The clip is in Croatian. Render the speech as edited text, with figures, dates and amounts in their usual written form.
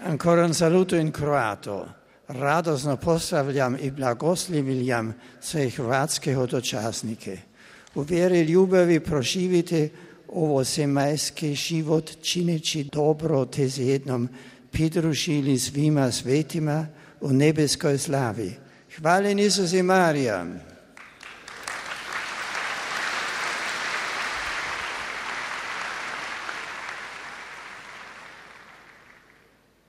Ancora un saluto in croato. Radosno pozdravljam i blagoslivljam sve hrvatske hodočasnike. U vjeri ljubavi proživite ovo zemaljski život čineći dobro te s jednom pridružili svima svetima u nebeskoj slavi. Hvaljen Isus i Marija.